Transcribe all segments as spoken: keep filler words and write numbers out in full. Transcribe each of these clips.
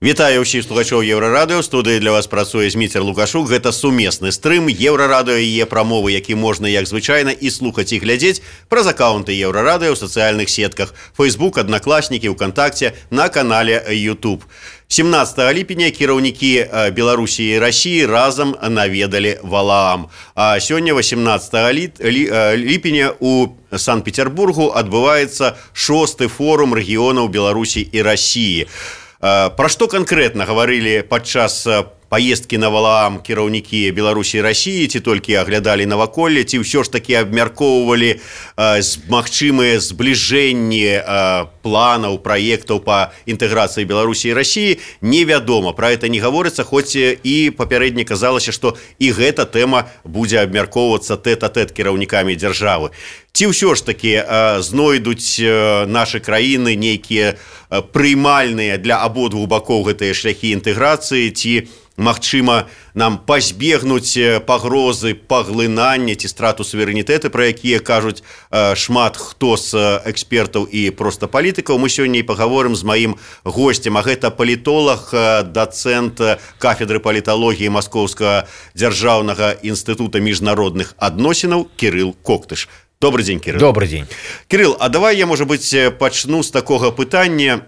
Вітаю ўсіх слухачоў Еўрарадыё. Студыі для вас працуе Зміцер Лукашук. Гэта сумесны стрым Еўрарадыё і яе прамовы, які можна, як звычайна, і слухаць і глядзець праз акаунты Еўрарадыё ў сацыяльных сетках Facebook, Аднакласнікі, ВКонтакце, на канале YouTube. семнадцатага ліпеня кіраўнікі Беларусі і Расіі разам наведалі Валаам. А сёння восемнадцатага ліпеня у Санкт-Петербургу адбываецца шосты форум рэгіёнаў Беларусі і Расіі. Пра што канкрэтна гаварылі падчас паездкі на Валаам кіраўнікі Беларусі і Расіі, ці толькі аглядалі наваколле, ці ўсё ж такі абмяркоўвалі магчымыя збліжэнні планаў, праектаў па інтэграцыі Беларусі і Расіі, невядома. Пра гэта не гаворыцца, хоць і папярэдне казалася, што і гэта тэма будзе абмяркоўвацца тэт-а-тэт кіраўнікамі дзяржавы. Ці ўсё ж такі знойдуць нашы краіны нейкія прыймальныя для абодвух бакоў гэтыя шляхі інтэграцыі, ці магчыма нам пазбегнуць пагрозы паглынання ці страту суверэнітэты, пра якія кажуць шмат хто з экспертаў і проста палітыкаў. Мы сёння і пагаворым з маім госцем, а гэта палітолог, дацэнт кафедры паліталогіі Маскоўскага дзяржаўнага інстытута міжнародных адносінаў Кірыл Коктыш. Добрый день, Кирилл. Добрый день. Кирилл, а давай я, может быть, пачну з такога пытання.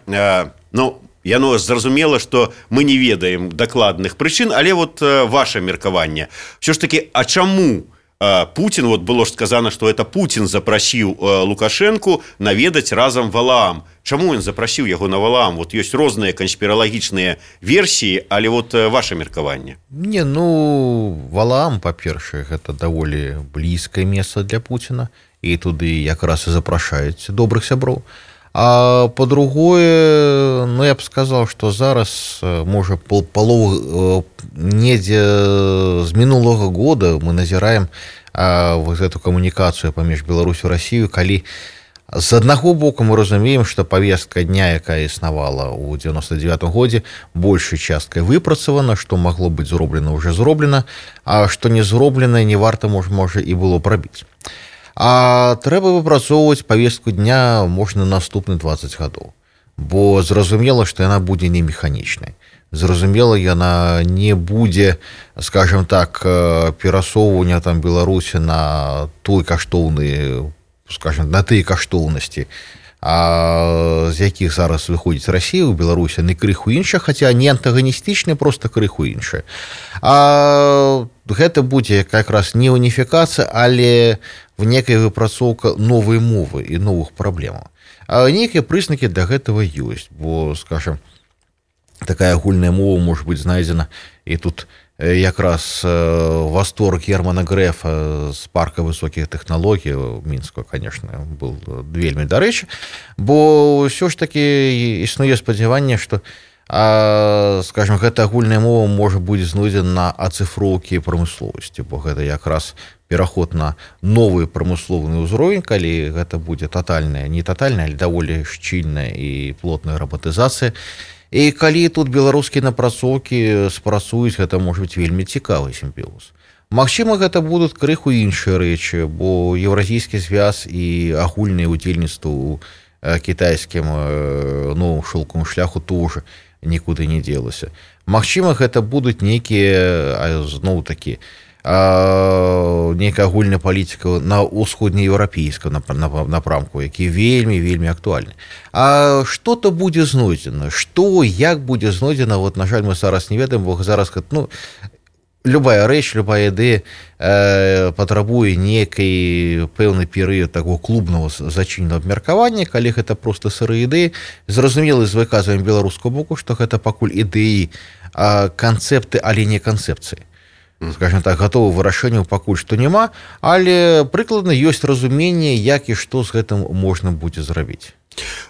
Ну, яно зразумела, што мы не ведаем дакладных прычын, але вот ваше меркаванне. Все ж таки, а чаму Путин, вот было ж сказано, что это Путин запрасіў Лукашенку наведаць разам Валаам. Чаму ён запрасіў яго на Валаам? Вот ёсць розныя канспіралагічныя версіі, але вот ваше меркаванне. Не, ну, Валаам, па-першае, гэта даволі блізкае месца для Путина, і туды якраз і запрашаюць добрых сяброў. А по-другое, ну, я б сказаў, што зараз, можа, палову недзе з мінулага года мы назіраем а, вот эту камунікацыю паміж Беларусю і Расію, калі з аднаго боку мы разумеем, што павестка дня, якая існавала ў девяносто девятым годзе, большай часткай выпрацавана, што магло быць зроблена, уже зроблена, а што не зроблена, не варта, можа, можа і было прабіць. А трэба выпрацоўваць павестку дня можна наступны двадцать гадоў, бо зразумела, што яна будзе не механічнай. Зразумела, яна не будзе, скажем так, перасоўвання там Беларусі на той каштоўны, скажем, на тыя каштоўнасці, а з якіх зараз выходзіць Расія ў Беларусі, не крыху іншая, хаця не антаганістычная, просто крыху іншая. А гэта будзе якраз не уніфікацыя, але в некая выпрацоўка новай мовы і новых праблемаў. А нейкія прызнакі для гэтага ёсць, бо, скажем, такая агульная мова можа быць знайдзена, і тут якраз восторг Германа Грэфа з парка высокіх тэхналогій у Мінску, конечно, был вельмі дарэчы, бо ўсё ж таки існуе спадзяванне, што, а, скажем, гэта агульная мова можа будзе знойдзена на ацыфроўкі прамысловасці, бо гэта якраз пераход на новы прамысловы ўзровень, калі гэта будзе татальная, не татальная, але даволі шчыльная і плотная раматызацыя. І калі тут беларускія напрацоўкі спрацуюць, гэта можа быць вельмі цікавы сімбіоз. Магчыма, гэта будуць крыху іншыя рэчы, бо еўразійскі звяз і агульнае ўдзельніцтва ў кітайскім новым шоўковым шляху тоже нікуды не дзелася. Магчыма, гэта будуць нейкія, зноў такі, нейкая агульная палітыка на ўсходнееўрапейском напрамку, які вельмі-вельмі актуальны. А што-то будзе знойдзена? Што, як будзе знойдзена? Вот, на жаль, мы зараз не ведаем, бо зараз, ну, любая рэч, любая ідэя э, патрабуе нейкай пэўны перыяд такого клубнага зачыненага абмеркавання, калі гэта проста сырыя ідэі. Зразумела, з выказваннем беларускага боку, што гэта пакуль ідэі, а канцэпты, але не канцэпцыі. Скажем так, готового вырашэнняў пакуль што няма, але прыкладна ёсць разуменне, як і што з гэтым можна будзе зрабіць.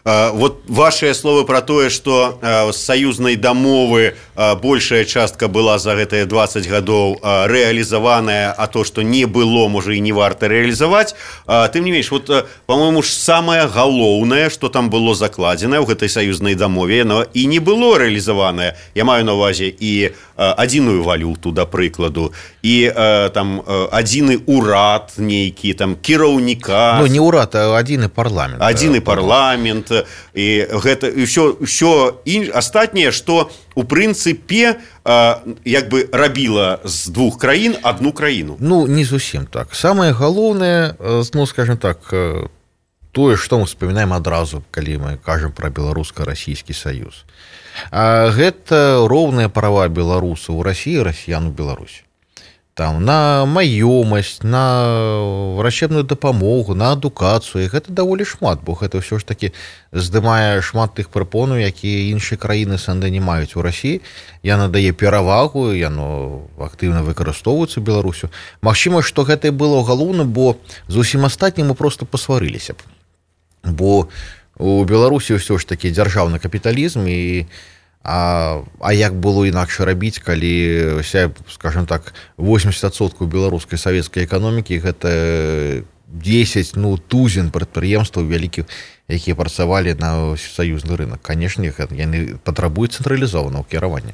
Вот ваши словы про тое, что з саюзнай дамовы большая частка была за гэтыя двадцать гадоў рэалізаваная, а то, что не было, можа, і не варта рэалізаваць. Тым не менш, вот, по-моему, ж самае галоўнае, что там было закладзена ў гэтай саюзнай дамове, но і не было рэалізаванае. Я маю на увазе і адзіную валюту, да прыкладу, і там адзіны урад нейкі, там кіраўніка. Ну, не урад, а адзіны парламент. Адзіны парламент. І гэта і ўсё, ўсё інш... астатняе, што у прынцыпе як бы рабіла з двух краін одну краіну. Ну, не зусім так. Самае галоўнае, ну, скажем так, тое, што мы вспоминаем адразу, калі мы кажам пра беларуска-расійскі саюз. Гэта роўныя права беларусаў у Расіі, расіян у Беларусі. Там на маёмасць, на врачебную дапамогу, на адукацыю. Гэта даволі шмат, бо гэта ўсё ж такі здымае шмат тых прапонаў, якія іншыя краіны сэнды не маюць у Расіі. Яна дае перавагу, яно актыўна выкарыстоўваецца Беларусю. Магчыма, што гэта і было галоўна, бо з усім астатнім мы проста пасварыліся б. Бо у Беларусі ўсё ж такі дзяржаўны капіталізм і А, а як было інакш рабіць, калі, скажем так, восемьдесят адсоткаў беларускай савецкай эканомікі гэта дзесяць, ну, тузін прадпрыемстваў вялікіх, якія працавалі на саюзны рынок. Канешне, яны патрабуюць цэнтралізованого кіравання.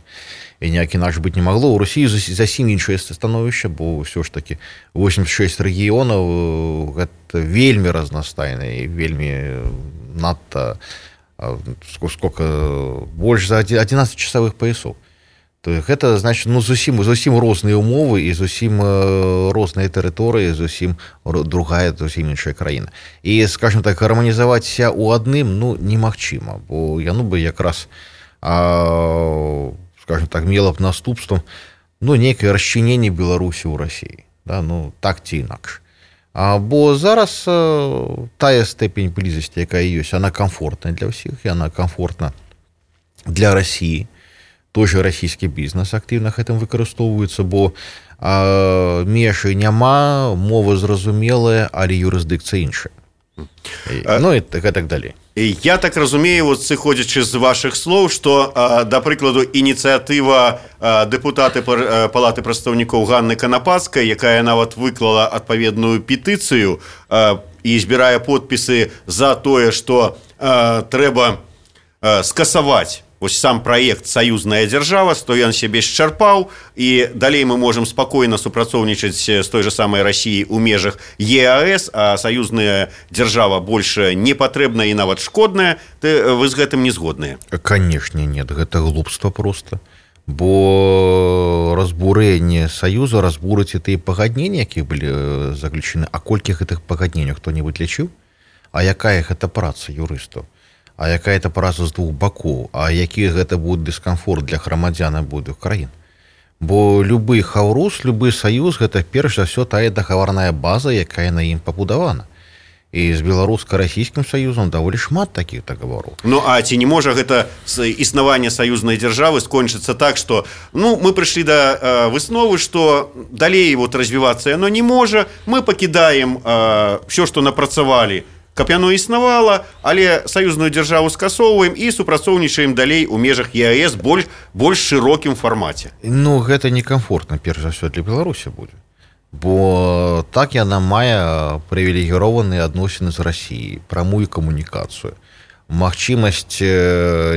І ніяк інакш быць не магло. У Росіі зусім іншае становішча, бо ўсё ж такі восемьдесят шесть рэгіёнаў гэта вельмі разнастайна і вельмі надта сколько больш за одиннадцать часовых поясов. То гэта значит, ну, зусім зусім розныя умовы і зусім розныя тэрыторыі, зусім другая, зусім іншая краіна. І, скажем так, гарманізавацца ў адным, ну, немагчыма, бо яно бы якраз, а, скажем так, мела б наступствам, ну, нейкае расчыненне Беларусі ў Расіі, да, ну, так ці інакш. А, бо зараз а, тая степень блізасці, якая ёсць, она комфортная для ўсіх, і она комфортна для Расіі. Той же расійскі бізнес актыўна гэтым выкарыстоўваецца, бо а, межы няма, мова зразумелая, але юрысдыкцыя іншая. А... Ну і так, і так далей. Я так разумею, вот сыходзячы з вашых слоў, што, да прыкладу, ініцыятыва дэпутаты Палаты прадстаўнікоў Ганны Канапацкай, якая нават выклала адпаведную петыцыю і збірае подпісы за тое, што трэба скасаваць вось сам праект «Саюзная дзяржава», што ён сябе счарпаў, і далей мы можам спакойна супрацоўнічаць з той же самай Расіяй у межах Е А Эс, а саюзная дзяржава больш не патрэбная і нават шкодная. Вы з гэтым не згодныя? Канешне, нет, гэта глупства проста. Бо разбурэнне саюза разбурыць і тыя пагадненні, якія былі заключены. А колькі гэтых пагадненняў хто-небудзь лічыў? А якая гэта праца юрыстаў? А якая это праца з двух бакоў, а які гэта будзе дыскамфорт для грамадзян абодвух краін. Бо любы хаўрус, любы саюз гэта перш за ўсё тая дагаварная база, якая на ім пабудавана. І з беларуска-расійскім саюзам даволі шмат такіх дагавораў. Ну а ці не можа гэта існаванне саюзнай дзяржавы скончыцца так, што ну мы прыйшлі да э, высновы, што далей вот развівацца яно не можа, мы пакідаем э, ўсё, што напрацавалі, каб яно існавала, але саюзную дзяржаву скасоўваем і супрацоўнічаем далей у межах Е А Эс больш, больш шырокім фармаце. Ну, гэта некамфортна, перш за ўсё, для Беларусі будзе. Бо так яна мае прывілегіраваныя адносіны з Расіяй, прамую камунікацыю, магчымасць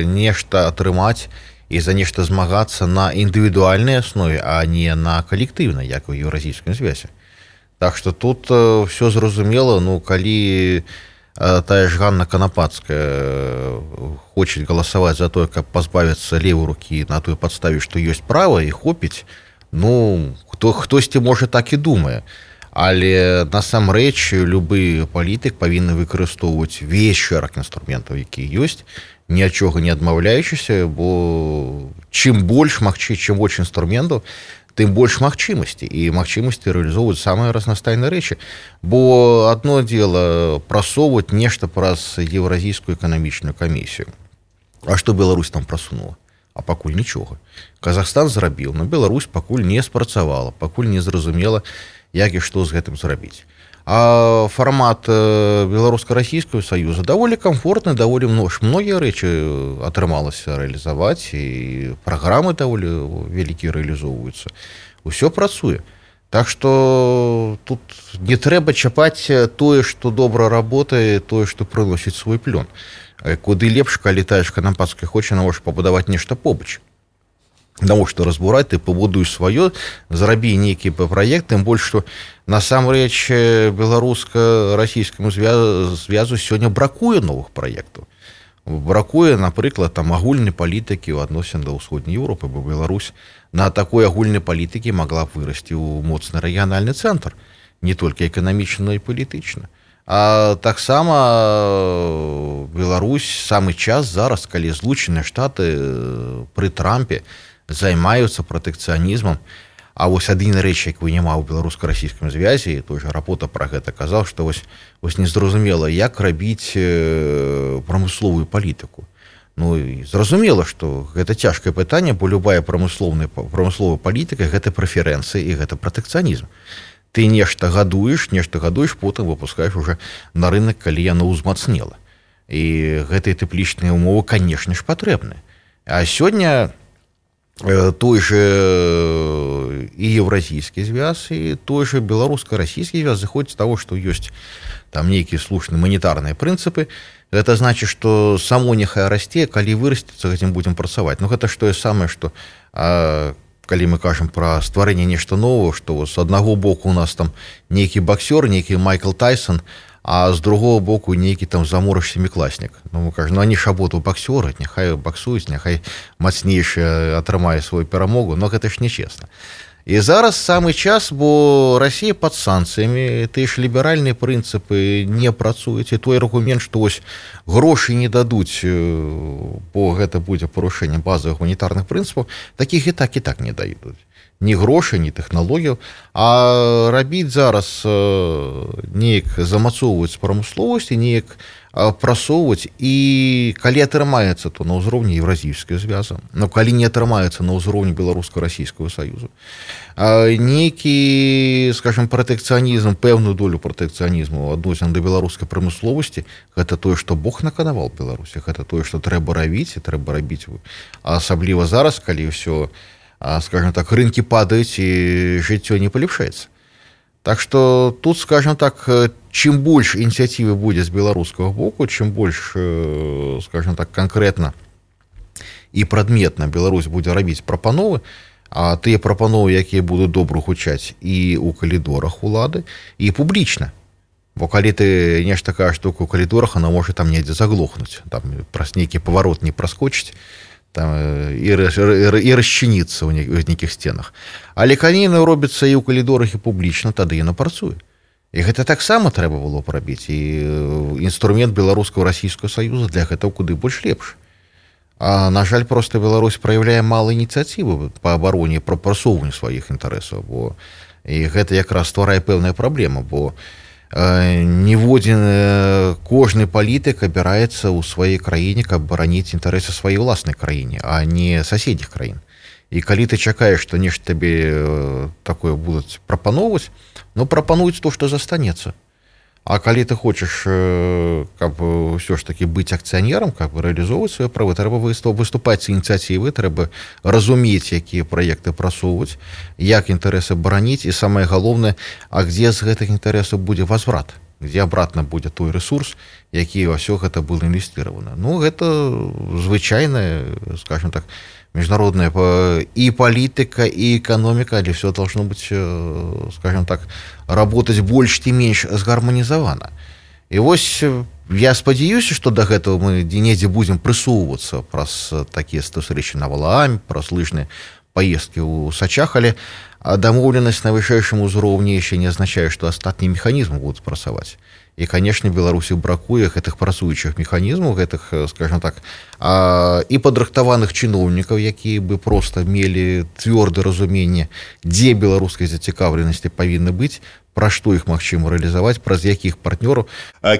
нешта атрымаць і за нешта змагацца на індывідуальнай аснове, а не на калектыўнай, як у Еўразійскім звязе. Так што тут все зразумела, ну, калі тая ж Ганна Канапацкая хоче галасаваць за тое, каб пазбавіцца левой рукі на той падставе, што ёсць права і хопіць, ну, хто, хтосьці можа так і думае. Але насамрэч любы палітык павінны выкарыстоўваць весь шэраг інструментаў, які ёсць, ні ад чога не адмаўляючыся, бо чым больш магчы, чым больш інструментаў, тым больш магчымасці, і магчымасці рэалізоўваць самыя разнастайныя рэчы. Бо адно дзела прасоўваць нешта праз Еўразійскую эканамічную камісію. А што Беларусь там прасунула? А пакуль нічога. Казахстан зрабіў, но Беларусь пакуль не спрацавала, пакуль не зразумела, як і што з гэтым зрабіць. А фармат беларуска-расійскага саюза даволі комфортны, даволі многія рэчы атрымалася рэалізаваць, і праграмы даволі вялікія рэалізоўваюцца. Усё працуе. Так што тут не трэба чапаць тое, што добра работае, тое, што прыносіць свой плён. Куды лепш, калі тая ж Канапацкая хоча, можа пабудаваць нешта побач. Навошта разбураць, ты пабудуй сваё, зрабі нейкі праект, тым больш, што насамрэч беларуска-расійскаму звязу сёння бракуе новых праектаў. Бракуе, напрыклад, там агульнай палітыкі ў адносін да ўсходняй Еўропы, бо Беларусь на такой агульнай палітыкі магла б вырасці ў моцны рэгіянальны цэнтр, не толькі эканамічна, но і палітычна. А таксама Беларусь самы час зараз, калі Злучаныя Штаты пры Трампе займаюцца пратэкцыянізмам. А вось адзіна рэч, якую няма ў беларуска-расійскім звязі, той жа Рапота пра гэта казаў, што вось, вось незразумела, як рабіць прамысловую палітыку. Ну, і зразумела, што гэта цяжкае пытанне, бо любая прамысловая палітыка – гэта прэферэнцыі і гэта пратэкцыянізм. Ты нешта гадуеш, нешта гадуеш, потым выпускаеш уже на рынок, калі яно ўзмацнела. І гэтыя тэплічныя ўмовы, канешне ж, патрэбны. А сёння той же і еўразійскі звяз, і той же беларуска-расійскі звяз зыходзіць з таго, што ёсць там нейкія слушныя манетарныя прынцыпы. Гэта значыць, што само няхай расце, калі вырасціцца, гэтым будзем працаваць. Ну, гэта ж тое самае, што а, калі мы кажам пра стварэнне нешта нового, што з аднаго боку у нас там нейкі баксёр, нейкі Майкл Тайсон, а з другого боку нейкі там заморыш семікласнік. Ну, мы кажам, ну, они ж абодва баксёры, няхай баксуюць, няхай мацнейшы атрымае сваю перамогу, но гэта ж нечесна. І зараз самы час, бо Расія пад санкцыямі, тыя ж ліберальныя прынцыпы не працуюць, і той аргумент, што вось грошы не дадуць, бо гэта будзе парушэннем базавых гуманітарных прынцыпаў, такіх і так і так не дадуць. Ні грошай, ні тэхналогіяў, а рабіць зараз неяк замацоўваць прамысловасць і неяк прасоўваць, і калі атрымаецца, то на ўзроўні еўразійскага звяза, но калі не атрымаецца на ўзроўні беларуска-расійскага саюзу, нейкі, скажем, пратэкцыянізм, пэўную долю пратэкцыянізму адносін да беларускай прамысловасці, гэта тое, што Бог наканаваў Беларусі, гэта тое, што трэба рабіць, і трэба рабіць, асабліва зараз, калі ўсё, скажем так, рынкі падаюць і жыццё не палепшаецца. Так што тут, скажем так, чым больш ініцыятывы будзе з беларускага боку, чым больш, скажем так, канкрэтна і прадметна Беларусь будзе рабіць прапановы, а тыя прапановы, якія будуць добра гучаць і ў калідорах улады, і публічна. Бо калі ты нешта кажаш толькі ў калідорах, она можа там недзе заглохнуць, там праз нейкі паварот не праскочыць, там, і, і расчыніцца ў нейкіх сценах. Але калі яно робіцца і ў калідорах, і публічна, тады яно працуе. І гэта таксама трэба было б рабіць. І інструмент беларускага расійскага саюза для гэтага куды больш лепш. А, на жаль, проста Беларусь праяўляе мала ініцыятывы па абароне, па прасоўванню сваіх інтарэсаў. Бо... І гэта якраз стварае пэўная праблема, бо ніводзін кожны палітык абіраецца ў сваёй краіне, каб бараніць інтарэсы сваёй уласнай краіне, а не суседніх краін. І калі ты чакаеш, што нешта табе такое будуць прапаноўваць, ну прапануюць то, што застанецца. А калі ты хочаш, каб ўсё ж такі быць акцыянерам, каб рэалізоўваць свае правы, трэба выступаць з ініцыятывы, трэба разумець, якія праекты прасоўваць, як інтарэсы бараніць, і самае галоўнае, а дзе з гэтых інтарэсаў будзе возврат, дзе абратна будзе той рэсурс, які ўсё гэта было інвестыравана. Ну, гэта звычайная, скажем так, международная и политика, и экономика, или все должно быть, скажем так, работать больше и меньше сгарманизовано. И вот я спадзяюся, что до этого мы недзе будем прысоўвацца праз такие встречи на Валааме, праз лыжные поездки у Сачах, але дамоўленасць на вышэйшым узроўні еще не означает, что астатнія механизмы будут працаваць. І, конечно, Беларусі бракуе гэтых працуючых механізмаў, гэтых, скажем так, і падрыхтаваных чыноўнікаў, якія бы просто мелі цвёрдае разуменне, дзе беларускай зацікаўленасці павінны быць, пра што іх магчыма рэалізаваць, праз якіх партнёраў.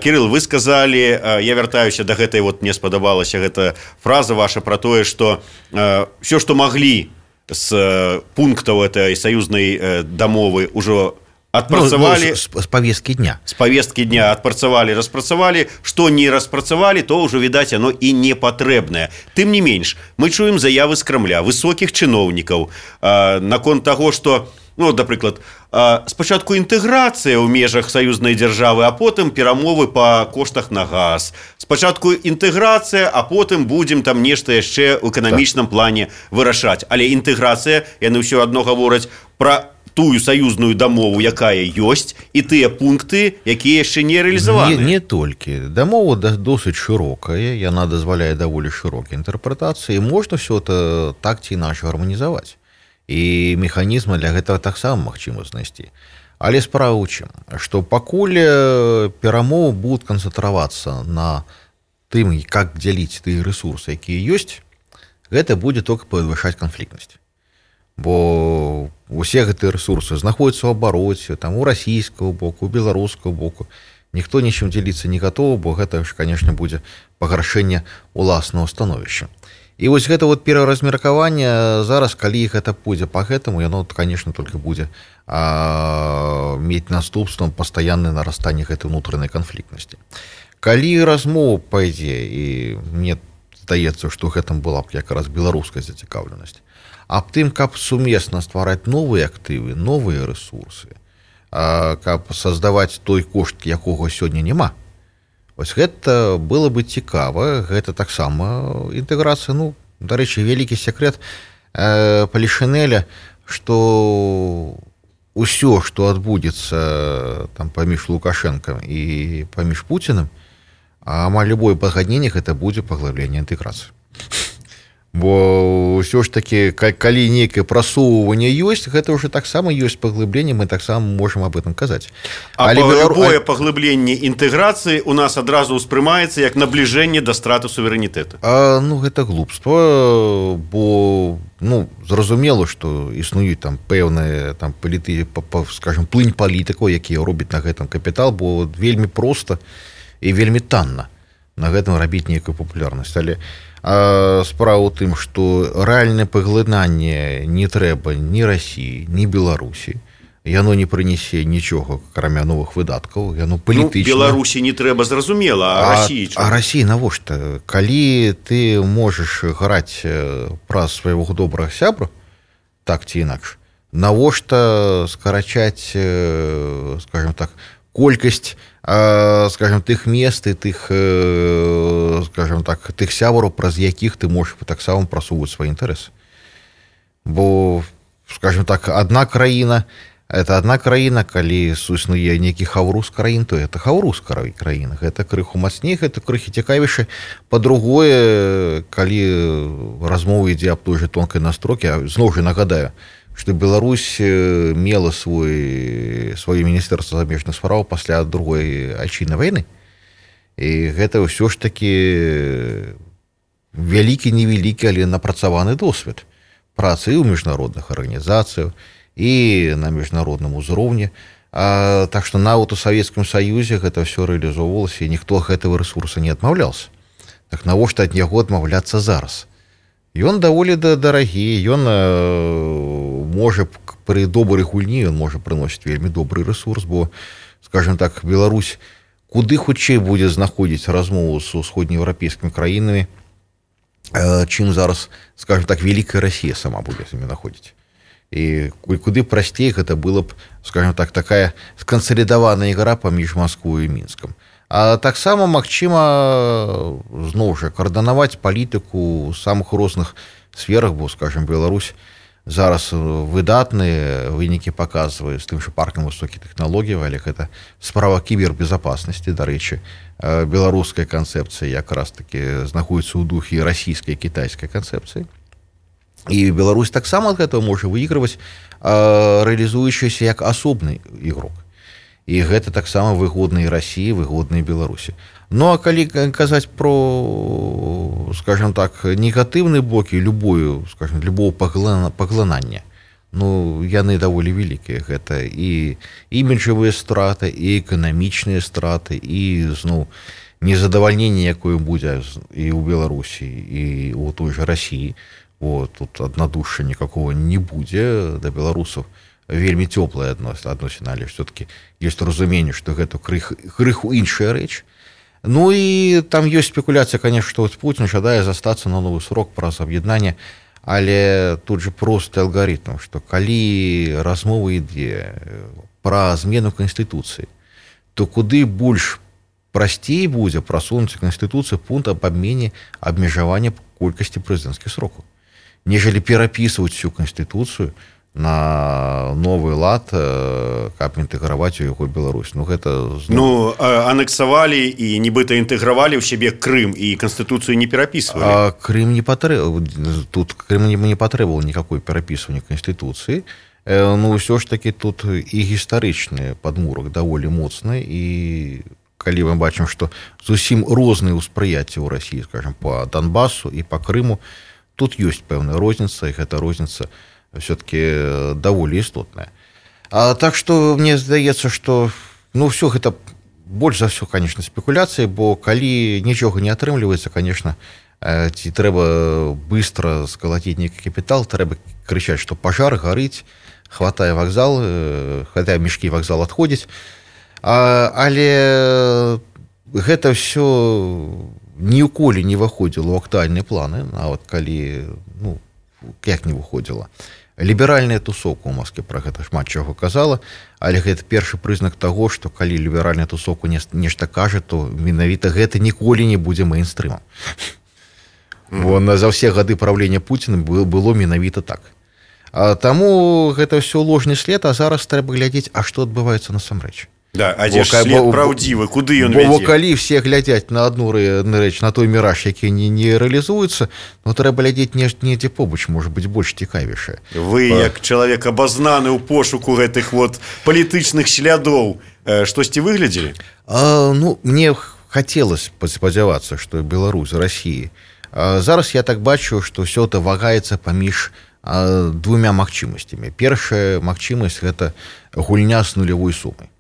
Кірыл, вы сказалі, я вяртаюся да гэтай, вот мне спадабалася гэта фраза ваша пра тое, што ўсё, што маглі з пунктаў этой саюзнай дамовы ўжо адпрацавалі, ну, ну, з повесткі дня. З повесткі дня адпрацавалі, распрацавалі, што не распрацавалі, то ўжо, відаць, оно і не патрэбнае. Тым не менш, мы чуем заявы з Крамля, высокіх чыноўнікаў, э, наконт таго, што, ну, напрыклад, э, спачатку інтэграцыя ў межах саюзнай дзяржавы, а потым перамовы па коштах на газ. Спачатку інтэграцыя, а потым будзем там нешта яшчэ ў эканамічным плане вырашаць. Але інтэграцыя, яны ўсё адно гавораць пра тую саюзную дамову, якая ёсць, і тыя пункты, якія яшчэ не рэалізаваны. Не, не толькі. Дамова досыць шырокая, яна дазваляе даволі шырокія інтэрпрэтацыі, можна все это так ці іначай гарманізаваць. І механізмы для гэтага таксама магчыма знайсці. Але справа ў чым, што пакуль перамовы будуць канцэнтравацца на тым, як дзяліць тыя рэсурсы, якія ёсць, гэта будзе толькі падвышаць канфліктнасць. Бо усе гэтыя рэсурсы знаходзяцца ў абароце, там у расійскага боку, у беларускага боку. Ніхто нічым дзеліцца не гатовы, бо гэта ж, канешне, будзе пагаршэнне уласнага становішча. І вось гэта вот пераразмеркаванне зараз, калі гэта пойдзе па гэтаму, яно, канешне, толькі будзе а, мець наступствам пастаяннае нарастанне гэтай унутранай канфліктнасці. Калі размова пайдзе, і мне здаецца, што гэтым была б якраз беларуская зацікаўленасць, аб тым, каб сумесна ствараць новыя актывы, новыя рэсурсы, каб создаваць той кошт, якога сёння няма. Вось гэта было бы цікава, гэта таксама інтэграцыя, ну, дарэчы, вялікі секрет э, Палішынеля, што ўсё, што адбудзецца там паміж Лукашэнкам і паміж Пуціным, амаль любое пагадненне гэта будзе паглыбленне інтэграцыі. Бо ўсё ж такі, калі нейкае прасоўванне ёсць, гэта ўжо таксама ёсць паглыбленне, мы таксама можам аб этом казаць. А любое паглыбленне інтэграцыі у нас адразу ўспрымаецца як набліжэнне да страты суверэнітэту. А, ну, гэта глупства, бо, ну, зразумела, што існуюць там пэўныя там паліты, скажем, плынь палітыкаў, якія робяць на гэтым капітал, бо вельмі проста і вельмі танна на гэтым рабіць нейкую папулярнасць. Але а справа ў тым, што рэальнае паглынанне не трэба ні Расіі, ні Беларусі. Яно не прынясе нічога, акрамя новых выдаткаў, яно палітычна. Ну, Беларусі не трэба, зразумела, а Расіі чого? А Расіі навошта? Калі ты можаш граць праз свайго добрага сябра, так ці інакш, навошта скарачаць, скажем так, колькасць, скажем, тых мест і тых, скажем так, тых сябраў, праз якіх ты можаш таксама прасоўваць свае інтарэсы. Бо, скажем так, адна краіна, это адна краіна, калі існуе нейкі хаўрус краін, то это хаўрус краіна. Гэта крыху мацней, гэта крыху цікавейшае. Па-другое, калі размова ідзе аб той же тонкай настрокі, зноў жа нагадаю, што Беларусь мела свой, сваё міністэрства замежных спраў пасля другой айчыннай вайны. І гэта ўсё ж такі вялікі, невялікі, але напрацаваны досвед працы і ў міжнародных арганізацыях, і на міжнародным узроўні. А, так што нават у Савецкім Саюзе гэта ўсё рэалізоўвалася, і ніхто гэтага рэсурса не адмаўляўся. Так навошта ад яго адмаўляцца зараз? Ён даволі дарагі, ён можа пры добрай гульні, ён можа прыносіць вельмі добры рэсурс, бо, скажем так, Беларусь куды хутчэй будзе знаходзіць размову з усходнееўрапейскімі краінамі, чым зараз, скажем так, вялікая Расія сама будзе з імі знаходзіць. І куды прасцей гэта было б, скажем так, такая скансалідаваная ігра паміж Масквой і Мінскам. А таксама магчыма зноў жа каардынаваць палітыку ў самых розных сферах, бо, скажем, Беларусь зараз выдатныя вынікі паказвае з тым жа паркам высокіх тэхналогій, але гэта справа кібербезапаснасці. Дарэчы, беларуская канцэпцыя якраз таки знаходіцца ў духе расійскай і кітайскай канцэпцыі. І Беларусь таксама ад гэтага можа выйгрываць, рэалізуючыся як асобны ігрок. І гэта таксама выгодна і Расіі, выгодна і Беларусі. Ну, а калі казаць про, скажем так, негатыўныя бокі любую, скажем, любого паглынання, ну, яны даволі вялікія. Гэта і іміджавыя страты, і эканамічныя страты, і, зноў, незадавальненне, якое будзе і ў Беларусі, і ў той жа Расіі. О, тут аднадушша никакого не будзе да беларусаў. Вельмі цёплая адносіна, але все-таки ёсць разуменне, што гэта крыху іншая рэч. Ну і там ёсць спекуляцыя, конечно, што Путін жадае застацца на новы срок праз аб'яднанне, але тут же просты алгарытм, што калі размова ідзе пра змену Канстытуцыі, то куды больш прасцей будзе прасунуць Канстытуцыю пункт аб абмене абмежавання колькасці прэзідэнцкіх срокаў. Нежели перапісваць всю Канстытуцыю на новы лад, каб інтэграваць у яго Беларусь. Ну гэта зноў... ну анексавалі і нібыта інтэгравалі ў сябе Крым і канстытуцыю не перапісвалі. Крым не патрэб... тут Крым не, не патрэбаваў никакой перапісвання канстытуцыі. Ну ўсё ж таки тут і гістарычны падмурак даволі моцны, і калі мы бачым, што зусім розныя ўспрыяцці ў Расіі, скажем, по Донбасу і по Крыму, тут ёсць пэўная розніца, і гэта розніца все-таки даволі істотная. А так что мне здаецца, что ну все гэта больш за все, конечно, спекуляцыі, бо калі нічога не атрымліваецца, конечно, ці трэба быстро скалаціць нейкі капітал, трэба крычаць, что пажар гарыць, хватае вакзал, хватае мешкі, вакзал адходзіць. А, але гэта все ніколі не выходзіла ў актуальныя планы, нават калі ну як не выходзіла. Ліберальная тусовка ў Москве пра гэта шмат чаго казала, але гэта першы прызнак таго, што калі ліберальная тусовка нешта кажа, то менавіта гэта ніколі не будзе мэйнстрымам. Mm-hmm. За ўсе гады правлення Пуціна было менавіта так. А таму гэта ўсё ложны след, а зараз трэба глядзець, а што адбываецца насамрэч. Да, а дзе ж след праўдзівы, куды ён вядзе? Бо калі все глядзяць на одну рэч, на той міраж, які не, не рэалізуецца, ну трэба глядзець недзе побач, можа быць больш цікавейшае. Вы, а... як чалавек абазнаны ў пошуку гэтых вот палітычных слядоў, штосьці выглядзелі? А, ну, мне хацелася спадзявацца, што Беларусь, Расіі. А зараз я так бачу, што ўсё это вагаецца паміж а, двумя магчымасцямі. Першая магчымасць гэта гульня з нулявой сумай.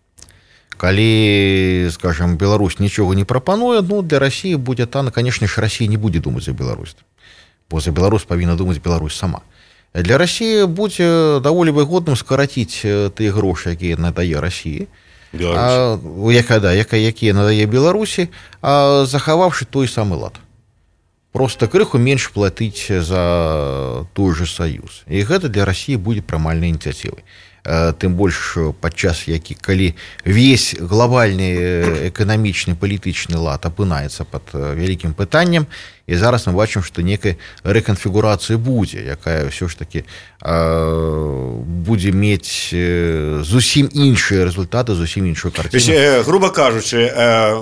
Калі, скажем, Беларусь нічога не прапануе, ну, для России будзе тана, конечно ж, Россия не будзе думаць за Беларусь. Бо за Беларусь павінна думаць Беларусь сама. Для России будзе даволі выгодным скараціць тыя грошы, якія надае России, а, якая, да, якія надае Беларусі, а захаваўшы той самы лад. Просто крыху менш платыць за той же саюз. І гэта для России будзе прымальнай ініцыятывай. Тым больш падчас які калі весь глобальны эканамічны палітычны лад апынаецца пад вялікім пытаннем, і зараз мы бачым, што некая рэканфігурацыя будзе, якая ўсё ж таки будзе мець зусім іншыя рэзультаты, зусім іншую карціну. Груба кажучы,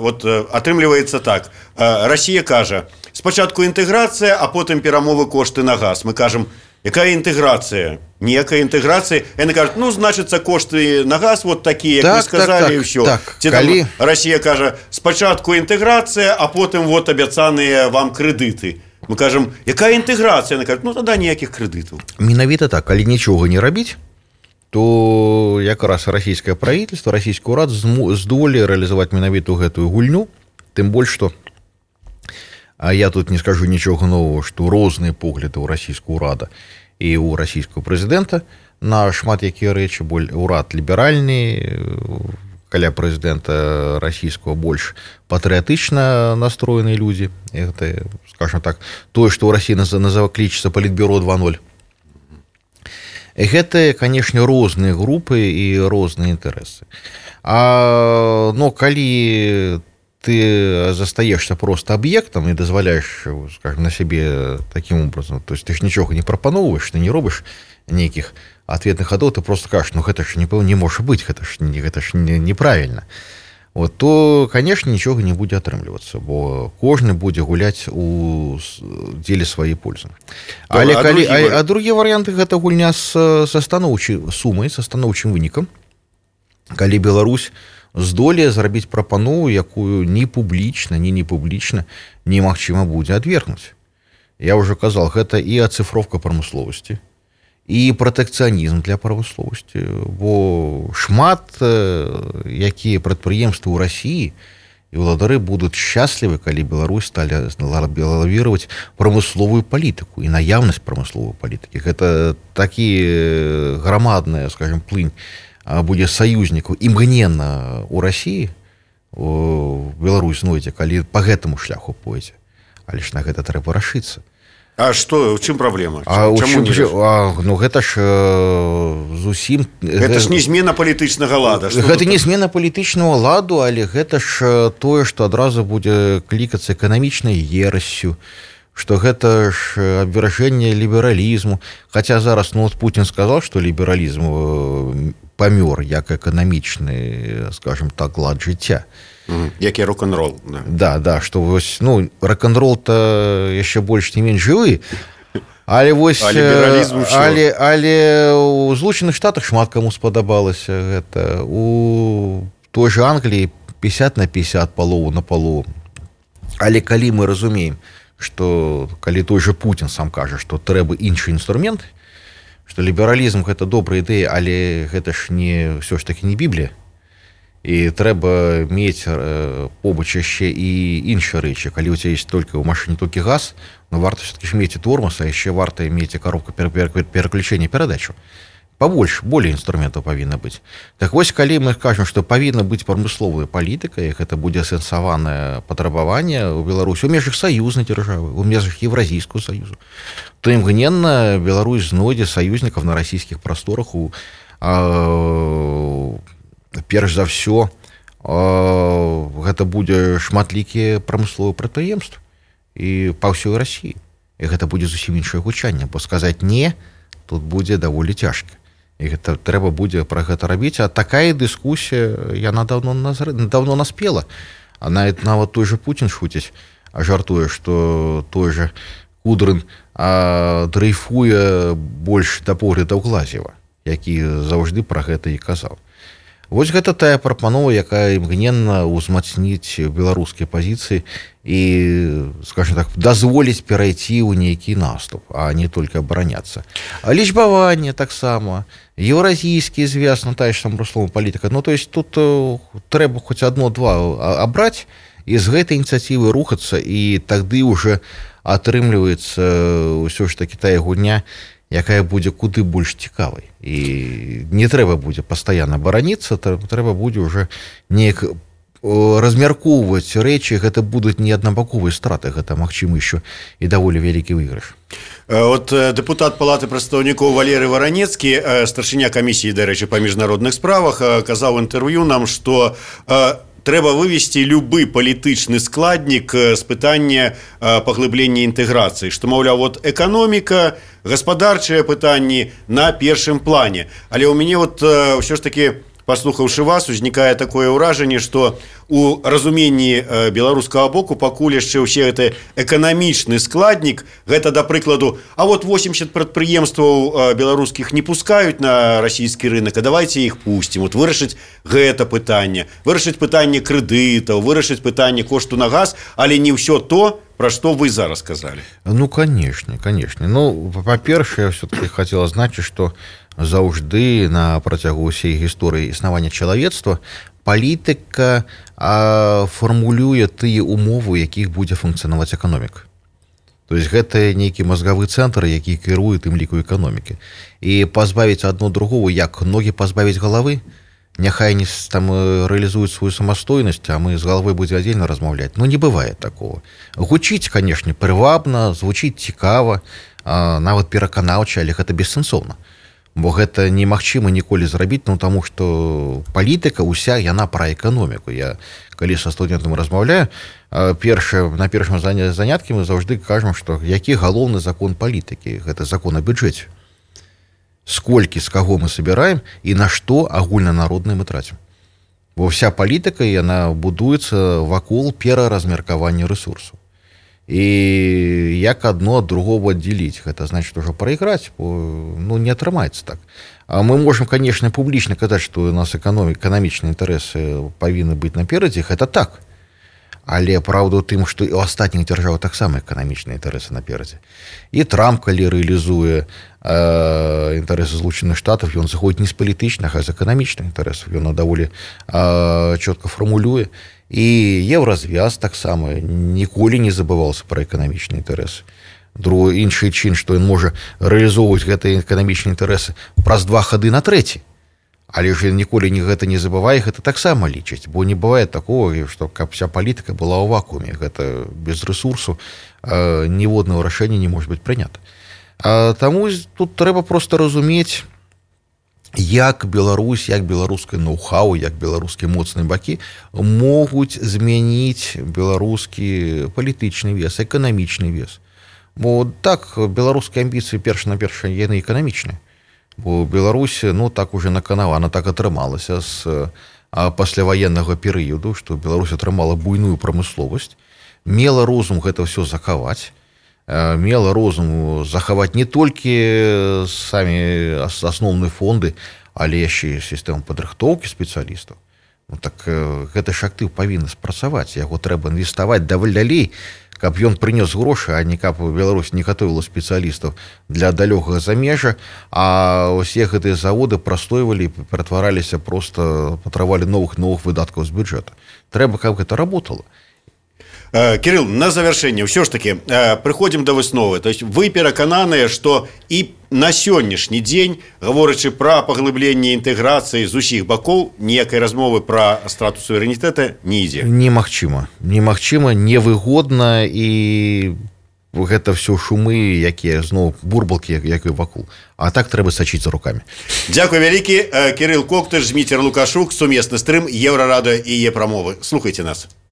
вот атрымліваецца так, Расія кажа, спачатку інтэграцыя, а потым перамовы кошты на газ. Мы кажам, якая інтэграцыя? Ніякая інтэграцыя. Яны кажуць, ну, значыцца, кошты на газ вот такія, як так, вы сказалі, так, і ўсё. Так, Ці калі... там Расія кажа, спачатку інтэграцыя, а потым вот абяцаныя вам крэдыты. Мы кажам, якая інтэграцыя? Яны кажуць, ну, тада ніякіх крэдытаў. Менавіта так, калі нічога не рабіць, то якраз расійскае правительство, расійскі ўрад здолее рэалізаваць менавіту гэтую гульню, тым больш, што а я тут не скажу нічога нового, што розныя погляды ў расійскага ўрада і ў расійскага прэзідэнта на шмат якія рэчы, боль урад ліберальны, каля прэзідэнта расійскага больш патрыятычна настроеныя людзі. Гэта, скажем так, тое, што ў Расіі назва клічыцца палітбюро два ноль. Гэта, канешне, розныя групы і розныя інтарэсы. А, но калі ты застаешься просто объектом и дозволяешь, скажем, на себе таким образом, то есть ты ж ничего не прапановываешь, ты не робишь неких ответных ходов, ты просто скажешь, ну это ж не, не может быть, это ж, это ж не, неправильно. Вот, то, конечно, ничего не будет атрымлівацца, бо кожны будзе гуляць у дзеле сваёй пользы. Але а, калі, другі... а, а другія варыянты гэта гульня з, са станоўчай сумай, са станоўчым вынікам, калі Беларусь здолее зрабіць прапанову, якую ні публічна, ні не публічна немагчыма будзе адвергнуць. Я ўжо казал, гэта і ацыфровка прамысловасці, і пратэкцыянізм для прамысловасці, бо шмат якія прадпрыемствы ў Расіі і ўладары будуць шчаслівы, калі Беларусь сталі лавіраваць прамысловую палітыку і наяўнасць прамысловай палітыкі. Гэта такі грамадная, скажем, плынь будзе саюзнікаў імгненна ў Расіі, Беларусь знойдзе, калі па гэтаму шляху пойдзе. Але ж на гэта трэба рашыцца. А што, у чым праблема? А, чым, чым, а, ну гэта ж э, зусім... Гэта ж не змена палітычнага лада. Гэта не змена палітычнага ладу, але гэта ж тое, што адразу будзе клікацца эканамічнай ерасцю, што гэта ж абвяржэнне лібералізму. Хаця зараз ну, Путін сказаў, што лібералізм памёр як эканамічны, скажем так, лад жыцця. Mm, як і рок-н-рол. Да, да, да што вось, ну, рок-н-рол-то яшчэ больш не менш жывы, але вось але, але ў Злучаных Штатах шмат каму спадабалася гэта. У той же Англіі пятьдесят на пятьдесят палову на палову. Але калі мы разумеем, што калі той же Путін сам кажа, што трэба іншы інструмент, што лібералізм гэта добрая ідэя, але гэта ж не ўсё ж таки не Біблія. І трэба мець побач яшчэ і іншыя рэчы. Калі у цябе ёсць толькі ў машыне толькі газ, ну варта все-таки ж мець і тормоз, а яшчэ варта мець і коробку пераключэння перадачу. Пабольш, болей інструментаў павінна быць. Так вось, калі мы кажам, што павінна быць прамысловая палітыка, і гэта будзе асэнсаванае патрабаванне ў Беларусі у межах саюзнай дзяржавы, у межах Еўразійскага саюзу, то імгненна Беларусь знойдзе саюзнікаў на расійскіх прасторах у а, перш за ўсё гэта будзе шматлікія прамысловыя прадпрыемствы і па ўсёй Расіі. І гэта будзе зусім іншае гучанне, бо сказаць не тут будзе даволі цяжка. І гэта трэба будзе пра гэта рабіць, а такая дыскусія яна даўно назр... даўно наспела. А нават нават той же Путін шуціць, а жартуе, што той же Кудрын а, дрейфуе больш да поглядаў Глазева, які заўжды пра гэта і казаў. Вось гэта тая прапанова, якая імгненна ўзмацніць беларускія пазіцыі і, скажем так, дазволіць перайти ў нейкі наступ, а не толькі абараняцца. А лічбаванне таксама, еўразійскі звяз, ну тая ж там прамысловая палітыка. Ну, то есть тут uh, трэба хоць адно-два абраць і з гэтай ініцыятывы рухацца, і тады ўжо атрымліваецца ўсё ж такі тая гульня, якая будзе куды больш цікавай. І не трэба будзе пастаянна бараніцца, трэба будзе ўжо неяк размяркоўваць рэчы, гэта будуць не аднабаковыя страты, гэта магчыма яшчэ і даволі вялікі выйгрыш. От дэпутат Палаты прадстаўнікоў Валерый Варанецкі, старшыня камісіі, дарэчы, па міжнародных справах, казаў інтэрв'ю нам, што трэба вывесці любы палітычны складнік з пытання паглыблення інтэграцыі, што, маўляў, вот эканоміка, гаспадарчыя пытанні на першым плане. Але ў мяне вот ўсё ж такі, паслухаўшы вас, узнікае такое ўражанне, што у разуменні беларускага боку пакуль яшчэ ўсе гэты эканамічны складнік, гэта, да прыкладу, а вот восемьдесят прадпрыемстваў беларускіх не пускаюць на расійскі рынок, а давайте іх пусцім. Вот вырашыць гэта пытанне, вырашыць пытанне крэдытаў, вырашыць пытанне кошту на газ, але не ўсё то, пра што вы зараз сказалі. Ну, канешне, канешне. Ну, па-першае, я все-таки хацела азначыць, што заўжды на працягу ўсей гісторыі існавання чалавецтва палітыка а, фармулюе тыя умовы, якіх будзе функцыянаваць эканоміка. То есть гэта нейкі мазгавы цэнтр, які кіруе тым ліку эканомікі. І пазбавіць адно другого, як ногі пазбавіць галавы, няхай не там рэалізуюць сваю самастойнасць, а мы з галавой будзе адзельна размаўляць. Ну, не бывае такого. Гучыць, канешне, прывабна, звучыць цікава, а, нават пераканаўча, але гэта бессэнсоўна. Бо гэта немагчыма ніколі зрабіць, ну, таму што палітыка ўся яна пра эканоміку. Я калі са студэнтам размаўляю, першае, на першым заняткі мы заўжды кажам, што які галоўны закон палітыкі, гэта закон о бюджэце. Сколькі, з каго мы собираем і на што агульнанароднае мы трацім. Бо вся палітыка, яна будуецца вакол пераразмеркавання рэсурсаў. І як адно ад другого аддзяліць, гэта значыць ужо прайграць, бо ну, не атрымаецца так. А мы можам, канешне, публічна казаць, што у нас эканамічныя інтарэсы павінны быць наперадзе, гэта так. Але праўда ў тым, што і ў астатніх дзяржавах таксама эканамічныя інтарэсы наперадзе. І Трамп, калі рэалізуе э, інтарэсы Злучаных Штатаў, ён заходзіць не з палітычных, а з эканамічных інтарэсаў. Ён даволі э, чётка фармулюе. І еўразвяз таксама ніколі не забываўся пра эканамічныя інтарэсы. Другі іншы чин, што ён можа рэалізоўваць гэтыя эканамічныя інтарэсы праз два хады на трэці. Але ж ніколі не гэта не забывае, гэта таксама лічыць, бо не бывае такого, што каб вся палітыка была ў вакууме. Гэта без рэсурсу э, ніводнага рашэння не можа быць прынята. А, таму тут трэба проста разумець, як Беларусь, як беларускае ноу-хау, як беларускія моцныя бакі могуць змяніць беларускі палітычны вес, эканамічны вес. Бо так, беларускія амбіцыі перш-наперш яны эканамічныя. Бо Беларусь, ну так уже наканавана, так атрымалася з пасляваеннага перыяду, што Беларусь атрымала буйную прамысловасць, мела розум гэта ўсё захаваць, мела розум захаваць не толькі самі асноўныя фонды, але яшчэ сістэму падрыхтоўкі спецыялістаў. Ну, так гэты ж актыў павінны спрацаваць, яго трэба інвеставаць даволі далей, каб ён прынёс грошы, а не каб Беларусь не гатовіла спецыялістаў для далёкага замежжа, а ўсе гэтыя заводы прастойвалі, ператвараліся, проста патрабавалі новых новых выдаткаў з бюджэта. Трэба, каб гэта работало. Кирилл, на завершение, все ж таки приходим до высновы. То есть вы перакананыя, что и на сённяшні дзень, гаворачы пра паглыбленне інтэграцыі з усіх бакоў, ніякай размовы пра страту суверэнітэта не ідзе. Немагчыма, немагчыма, невыгодна, і гэта все шумы, якія зноў бурбалкі, якія вакол. А так трэба сачыць за рукамі. Дзякуй вялікі. Кирилл Коктыш, Зміцер Лукашук, сумесны стрым Еўрарадыё і яе прамовы. Слухайте нас.